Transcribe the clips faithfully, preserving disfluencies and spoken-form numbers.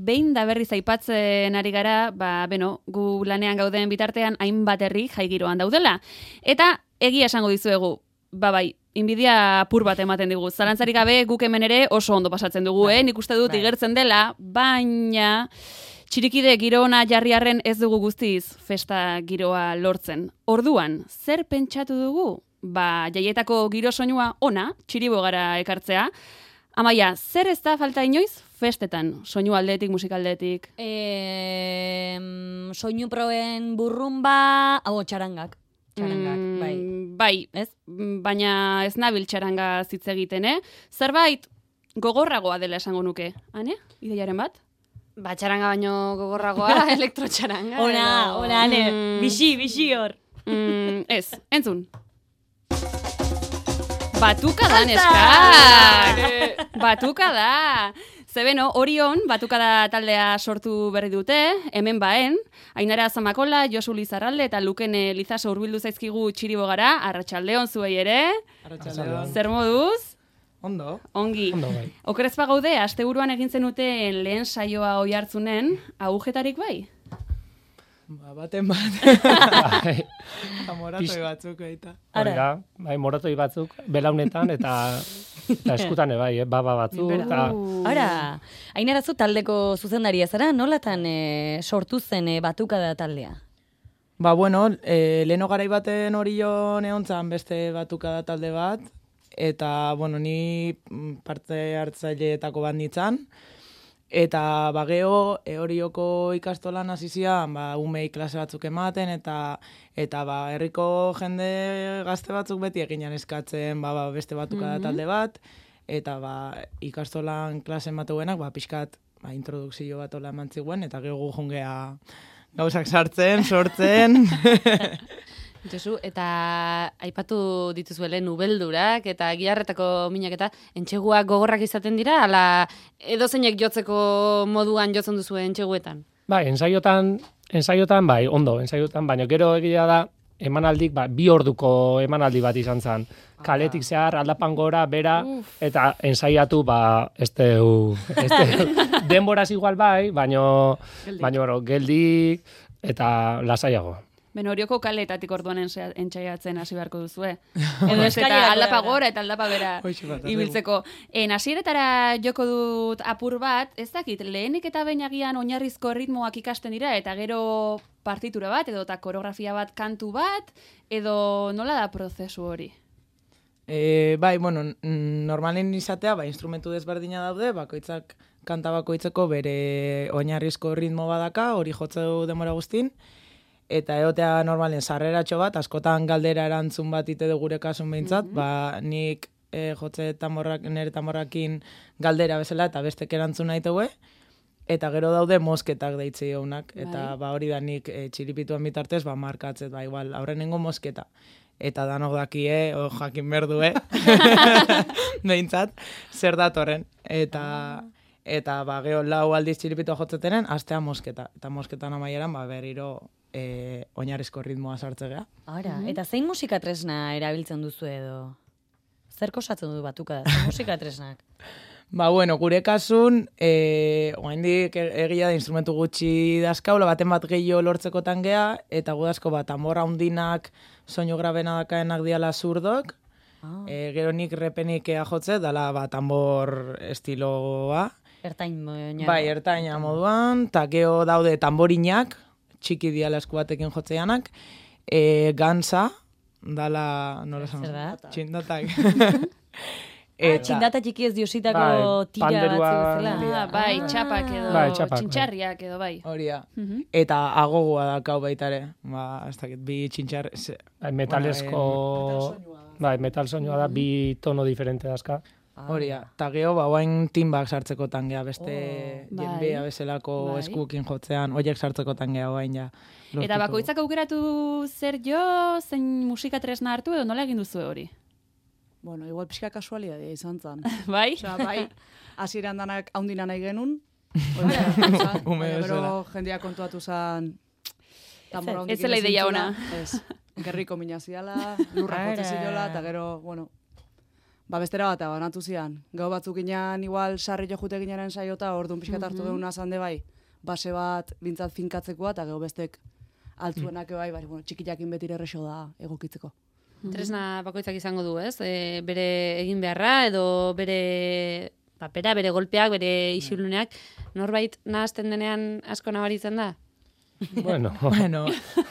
behin da berriz aipatzen ari gara, ba, beno, gu lanean gauden bitartean hainbat herri jaigiroan daudela. Eta egia esango dizuegu, ba bai, inbidia pur bat ematen digu. Zalantzarik gabe guk hemen ere oso ondo pasatzen dugu, eh? Nik uste dut igertzen dela, baina txirikide giro ona jarriarren ez dugu guztiz festa giroa lortzen. Orduan, zer pentsatu dugu? Ba, jaietako giro soinua ona, txiribogara ekartzea. Amaia, zer ez da falta inoiz festetan, soinu aldetik, musikaldetik? E, soinu proen burrumba, hau txarangak. Txarangak, mm, bai. Bai, ez? Baina ez nabil txaranga zitz egiten, eh? Zerbait gogorragoa dela esango nuke. Ane, ideiaren bat? Ba, txaranga baino gogorragoa, elektrotxaranga. Ona, edo... ona, ane, Mm. bixi, bixi hor. Mm, ez, entzun. Batuka da, neskak! Batuka da! Zebeno, Orion, batuka da taldea sortu berri dute, hemen baen, Ainara Zamakola, Josu Lizarralde eta Lukene Lizaso hurbildu zaizkigu txiribogara, arratsaldeon zuei ere. Arratsaldeon. Zer moduz? Ondo. Ongi. Ondo bai. Okerezpa gaude, asteburuan egin zenuten lehen saioa oi hartzunen, agujetarik bai? Ba, baten bat. Bai. Eta moratoi batzuk eita. Hori da, bai, moratoi batzuk, belaunetan eta, eta eskutan bai, eh, baba batzuk. Eta, Hora, hainarazu taldeko zuzendaria zara, nolatan e, sortu zen e, batuka da taldea? Ba, bueno, e, leheno garai baten hori jo neontzan beste batuka da talde bat, eta, bueno, ni parte hartzaileetako bat nintzen, eta bageo e, horioko ikastolan hasi zian, ba, umei klase batzuk ematen, eta eta ba, herriko jende gazte batzuk beti eginan eskatzen ba, ba, beste batuka da talde bat, eta ba, ikastolan klase ematuenak, ba, pixkat ba, introdukzio bat ola eman ziguen, eta gehu jungea gauzak sartzen, sortzen. Josu, eta aipatu dituzuele nubeldurak eta giharretako minak eta entxeguak gogorrak izaten dira, ala edozeinek jotzeko moduan jotzen duzu entxeguetan? bai, ensaiotan, ensaiotan, bai, ondo, ensaiotan, baina gero egia da, emanaldik, ba, bi orduko emanaldi bat izan zen. Kaletik zehar, aldapan gora, bera, eta ensaiatu, ba, este, uh, este, denboraz igual bai, baino, baino, geldik, eta lasaiago. Beno, Orioko kaleetatik orduan entxaiatzen hasi beharko duzue. Edo ez eta aldapa gora eta aldapa bera ibiltzeko. En hasieretara joko dut apur bat, ez dakit, lehenik eta behin agian oinarrizko ritmoak ikasten dira, eta gero partitura bat, edo eta koreografia bat, kantu bat, edo nola da prozesu hori? E, bai, bueno, normalen izatea, ba, instrumentu desberdina daude, bakoitzak kanta bakoitzeko bere oinarrizko ritmo badaka, hori jotze du denbora guztin, eta egotea normalen sarreratxo bat, askotan galdera erantzun bat ite du gure kasun behintzat, mm -hmm. ba, nik e, jotze tamborrak, nire tamborrakin galdera bezala, eta bestek erantzun nahi tegue, eta gero daude mosketak deitzi honak, eta ba, hori da nik e, txiripituan bitartez, ba, markatzet, ba, igual, aurrenengo mosketa. Eta danok dakie, o jakin berdue, behintzat, zer datorren. Eta, eta ba, geho lau aldiz txiripitua jotzetenen, astea mosketa. Eta mosketan amaieran, ba, berriro e, oinarrizko ritmoa sartzea. Ara, mm -hmm. Eta zein musika tresna erabiltzen duzu edo? Zer kosatzen du batuka da, zein musika tresnak? Ba, bueno, gure kasun, e, oaindik egia da instrumentu gutxi dazkaula, baten bat gehiago lortzekotan gea, eta gudazko bat, tambora hundinak, soinu grabena dakaenak diala zurdok, ah. e, gero nik repenik ea jotze, dala ba, tambor estiloa. Ertain moduan. Bai, ertaina moduan, eta gero daude tamborinak, txiki diala esku batekin jotzeanak, e, gansa, dala, nola esan? Zer da? Txindatak. Eta, ah, txindata txiki ez diositako bai, tira batzu bezala. Ah, bai, txapak edo, bai, txapak, txintxarriak edo, bai. Horia. Uh -huh. Eta agogoa dakau baitare. Ba, ez dakit, bi txintxar... Bai, metalesko... Bai, metal soinua da, bi tono diferente dazka. Horia. Eta geho, ba, oain timbak sartzeko tangea, beste oh, jenbea bezalako bai. eskukin jotzean, oiek sartzeko tangea oain ja. Eta bakoitzak aukeratu zer jo, zein musika tresna hartu edo nola egin duzu hori? Bueno, igual pixka kasualidadea izan zen. Bai? Osea, bai, hasieran danak haundina nahi genuen. Ume Gero jendia kontuatu zen... Ez zela ideia ona. Ez, gerriko mina ziala, lurra jotze ziola, eta gero, bueno... ba bestera bat banatu zian. Gau batzuk inan igual sarri jo jute ginaren saiota, orduan pixkat hartu geuna zande bai, base bat bintzat finkatzekoa, eta gero bestek altzuenak bai, bai, bueno, txikiakin betire errexo da egokitzeko. Tresna bakoitzak izango du, ez? E, bere egin beharra edo bere papera, bere golpeak, bere isiluneak. Norbait nahazten denean asko nabaritzen da? Bueno, Bueno,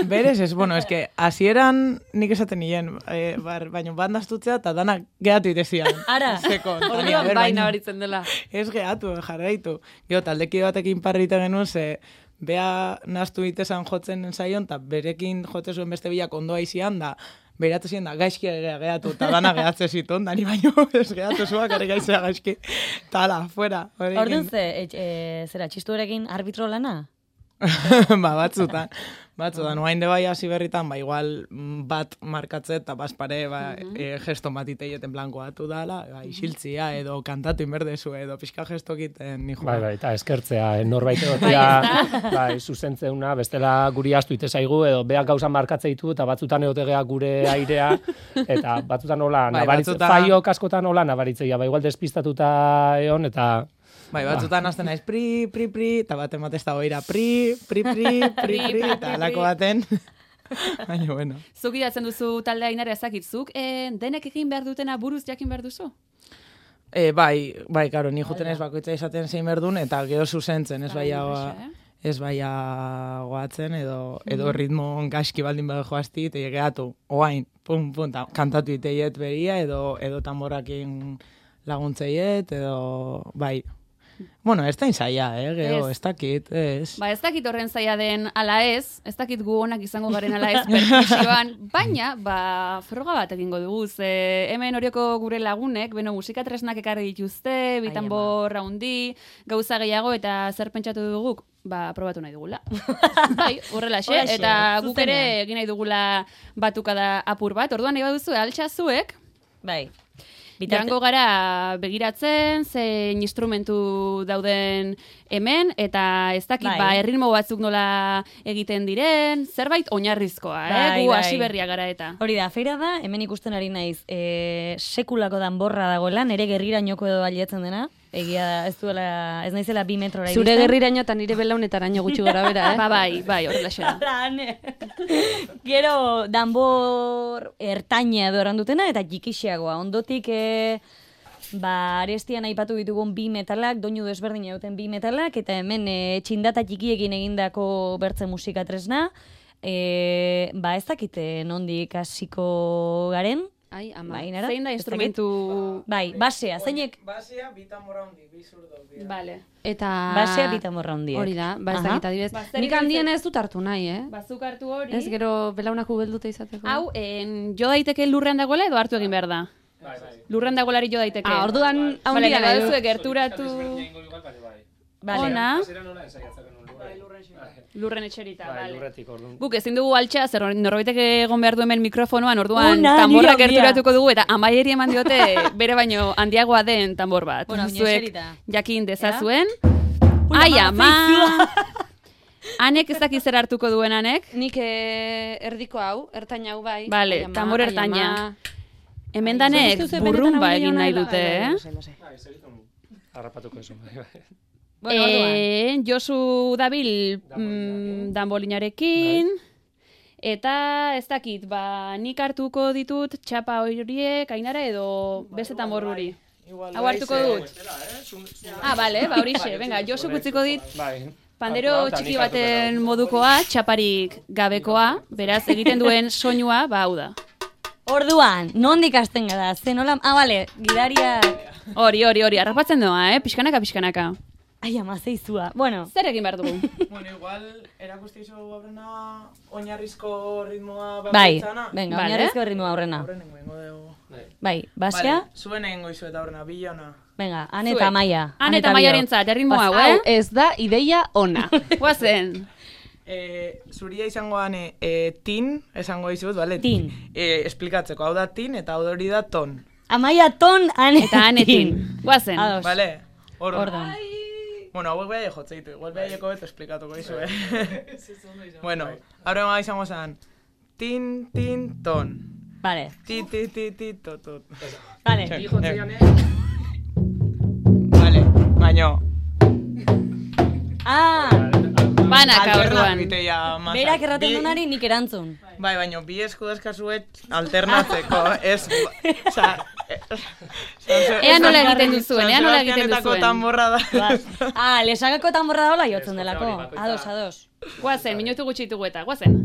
berez ez, bueno, es que hasieran nik esaten nien, eh, bar, baina bandaztutzea eta danak gehatu itezian. Ara. Zeko, Tania, Orduan ber, bai baina nabaritzen dela. ez gehatu, jarraitu. Gero, taldeki batekin parrite genuen, ze bea naztu itezan jotzen zaion, eta berekin jote zuen beste bilak ondoa izian, da beratu ziren da, gaizki gea gehatu, eta dana gehatze ziton, dani baino, ez gehatu zuak, are gaizea gaizki. Eta ala, fuera. horekin. Orduan ze, e, e, zera, txistuarekin arbitro lana? ba, batzutan. Batzutan, oain de bai hasi berritan, ba, igual mm, bat markatze eta baspare, ba, e, gesto bat iteieten blanko batu dala, ba, isiltzia edo kantatu inberdezu edo pixka gesto egiten ni bai, bai, eta eskertzea, eh, norbait egotea, bai, zuzentzeuna, bestela guri astu ite zaigu, edo beak gauza markatze ditu, eta batzutan egotegea gure airea, eta batzutan hola, Bai, nabaritze, batzutan- faio kaskotan hola nabaritzea, ba, igual despistatuta egon, eta Bai, batzutan hasten naiz pri, pri, pri, eta baten bat ez da oira pri, pri, pri, pri, pri, eta alako baten. Baina, bueno. Zuk idatzen duzu taldea Ainara ezakitzuk, e, denek egin behar dutena buruz jakin behar duzu? E, bai, bai, karo, ni juten ez bakoitza izaten zein berdun, eta gero zuzentzen, ez Bai, baia, horrexe, eh? ez baia goatzen, edo, edo ritmo gaizki baldin bada joazti, eta gehiatu, oain, pum, pum, ta, kantatu iteiet beria, edo, edo tamborakin laguntzeiet, edo, bai. Bueno, ez da inzaia, eh, gero, Ez. ez dakit, ez. Ba, ez dakit horren zaila den ala ez, ez dakit gu onak izango garen ala ez perkusioan, baina, ba, froga bat egingo dugu, ze hemen horioko gure lagunek, beno, musika tresnak ekarri dituzte, bitanbor handi, gauza gehiago, eta zer pentsatu duguk, ba, probatu nahi dugula. Bai, horrelaxe, Holaxe, eta guk ere zuzenean. egin nahi dugula batukada apur bat, orduan nahi baduzu, altxazuek, Bai. Joango gara begiratzen, zein instrumentu dauden hemen, eta ez dakit, Bai. ba, erritmo batzuk nola egiten diren, zerbait oinarrizkoa, eh? Bai, Gu bai. hasi berria gara eta. Hori da, feira da, hemen ikusten ari naiz, e, sekulako danborra dagoela, nere gerrirainoko edo baliatzen dena, egia da, ez duela, ez naizela bi metrora Zure iristen. gerriraino eta nire belaunetaraino gutxi gora bera, eh? Ba, bai, bai, horrelaxe da. Ane. Gero, danbor ertaina edo errandutena eta jikixiagoa. Ondotik, e, ba, arestian aipatu ditugun bi metalak, doinu desberdin duten bi metalak, eta hemen e, txindata txikiekin egindako bertze musika tresna. E, ba, ez dakite nondik hasiko garen. Ai, ama. Bai, nara? Zein da Ez dakit? instrumentu... Bai, basea, zeinek Basea, bitan mora hondi, bi zurdo. Vale. Eta... basea bitamorra hondiek. Hori da, ba ez Aha. dakit adibidez. Ba, zer Nik egin handien zen- ez dut hartu nahi, eh? Bazuk hartu hori. Ez gero belaunak ubelduta izateko. Hau, en, jo daiteke lurrean dagoela edo hartu egin behar da? Lurrean dagoelari jo daiteke. Ah, orduan Vale, handia nahi nahi baduzu du. gerturatu Vale. ona, Bai, lurren etxerita, vale. lurretik, orduan. Guk ezin dugu altxa, zer norbaitek egon behar du hemen mikrofonoan, orduan Ona, tamborra nire handia. gerturatuko dugu, eta amaieri eman diote bere baino handiagoa den tambor bat. Bueno, Zuek eserita. jakin dezazuen. Ui, Ai, ama, ama! Anek ez dakiz zer hartuko duen anek. Nik eh, erdiko hau, ertaina hau bai. Vale, Ai, ama, tambor ai, ertaina. ama. Hemen danek Zuk uste duzu burrumba benetan egin hau nahi dela? dute, eh? Lasai, lasai. Bai, segitun harrapatuko esu. Bueno, orduan. Eh, Josu dabil mm, danbolinarekin, eta ez dakit, ba, nik hartuko ditut txapa horiek, Ainara, edo beste tambor hori. Hau hartuko dut. Ah, bale, ba horixe, venga, Josu kutziko dit Bai. pandero txiki baten modukoa, txaparik gabekoa, beraz egiten duen soinua, ba hau da. Orduan, nondik hasten gara? Ze nola... Ah, bale, gidaria... Hori, hori, hori, harrapatzen doa, eh? Pixkanaka, pixkanaka. Ai, ama, zeizua. Bueno, Zer egin behar dugu? Bueno, igual, erakusti izo aurrena oinarrizko ritmoa bai, bakoitzana. venga, Vale. oinarrizko ritmo aurrena. Aurrenengo ingo dugu. Bai, basea, Vale, zuen egingo izu eta aurrena, bilona. venga, ane Zuek. eta maia. Han eta maiarentzat, erritmo hau, Hau eh? ez da ideia ona. Guazen. E, zuria izango gane e, tin, esango izut, bale? Tin. E, esplikatzeko, hau da tin eta hau hori da ton. Amaia ton, ane Eta anetin. Guazen. Ados. Bale? Orduan. Orduan. Bueno, hauek behar jotze ditu, igual behar beto esplikatuko izu, eh? Bueno, aurrengoa izango zen, tin, tin, ton. Vale. Ti, ti, ti, ti, to, to. Vale. Vale, baino. Ah, Banaka orduan. Alternabitea masa. berak erraten Bi- dunari nik erantzun. Bai, baino, bi esku deskasuet alternatzeko, ez... Osa... Ea nola egiten duzuen, ea nola egiten duzuen. Tamborra da. Ah, lesagako tamborra dola jotzen delako. Ados, ados. Guazen, minutu gutxi ditugu eta, guazen.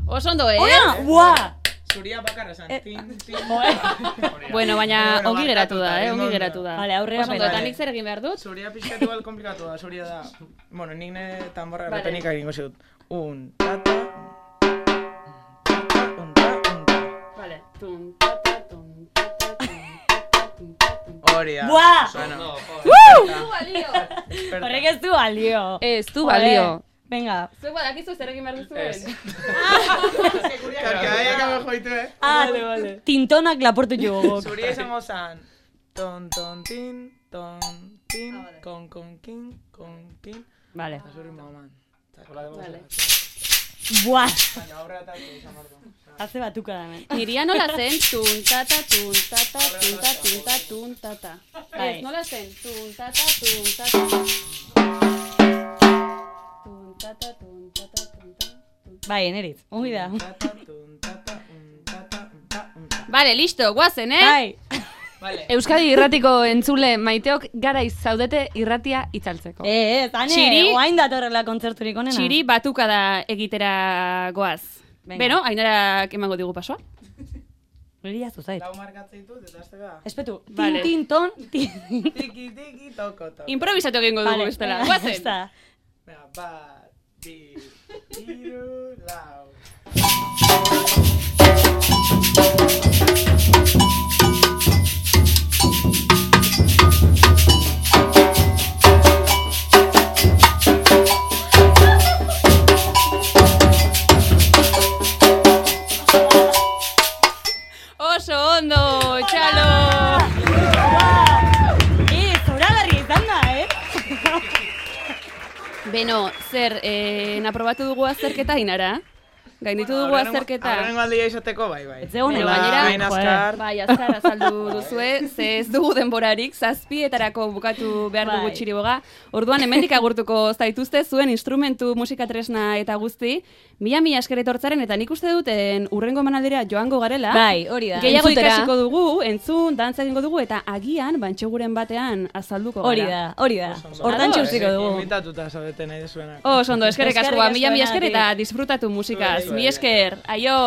Oso ondo, eh? Ona, buah! Zuria bakarra esan. Tin, tin. Bueno, baina Bueno, ongi geratu da, barkatuta, eh? Ongi ondo. geratu da. Vale, aurrera Oso ondo, eta pena. nik zer egin behar dut? Zuria pixkatu bal komplikatu da, zuria da. Bueno, nik ne tamborra Vale. erretenik egingo zut. Un, tata, un, ta, un, ta. Vale. Tum, tata, tum, tata, tum, tata, tum, tata, tum. Hori da. Buah! Bueno, Horrek ez du balio. Ez, du Joder. balio. Venga. Zuek badakizu zer egin behar duzuen? Karkadaiak amo joitu, eh? Ah, vale, vale. Tintonak laportu jugu. Zuria izango zan. Ton, ton, tin, ton, tin, kon, kon, kin, kon, kin. Vale. Eta zuri maman. Vale. Buah! Baina aurrera eta izan behar du. Hace batuka da hemen. Niria nola zen? Tuntata, tuntata, tunta, tunta, tuntata. Bai. Ez, nola zen? Tuntata, tuntata. Tuntata, tuntata, tuntata. Bai, eneritz. Ongi da. Tata, tun, tata, un, tata, un, ta, un, ta. Vale, listo, guazen, eh? Bai. Vale. Euskadi irratiko entzule maiteok garaiz zaudete irratia itzaltzeko. Eh, ez, ane, Txiri- oain datorrela kontzerturik onena. Txiri batuka da egitera goaz. Venga. Beno, Ainarak emango digu pasoa. Hori jaztu zait. Lau markatzen ditut, eta azte da. Espetu, tin, Vale. tin, ton, tin. Tiki, tiki, toko, toko. Improvisatu egingo dugu Vale, bestela. venga, Guazen. basta. Venga, bat, bi, hiru, lau. Oso ondo, txalo! Eh, zoragarri izan da, eh? Beno, zer, eh, naprobatu dugu azterketa Ainara? Gainditu dugu azterketa. Aurrengo aldia izateko, bai, bai. Ez zegoen Beno, hola, gainera- Hain azkar. Bai, azkar azaldu duzue, ze ez dugu denborarik, zazpietarako bukatu behar dugu Bai. txiriboga. Orduan, hemendik agurtuko zaituzte zuen instrumentu, musika tresna eta guzti. Mila mila esker etortzaren, eta nik uste duten urrengo emanaldera joango garela. Bai, hori da. Gehiago Entzutera. ikasiko dugu, entzun, dantza egingo dugu, eta agian, bantxeguren batean azalduko gara. Hori da, hori da. Hortan Ados. txutziko dugu. Invitatuta zaudete nahi dezuenak. Oso ondo, eskerrik Eskerrik asko, ba, mila mila asko esker eta denagatik. disfrutatu musikaz. Zuei, Mi zuei. esker, aio!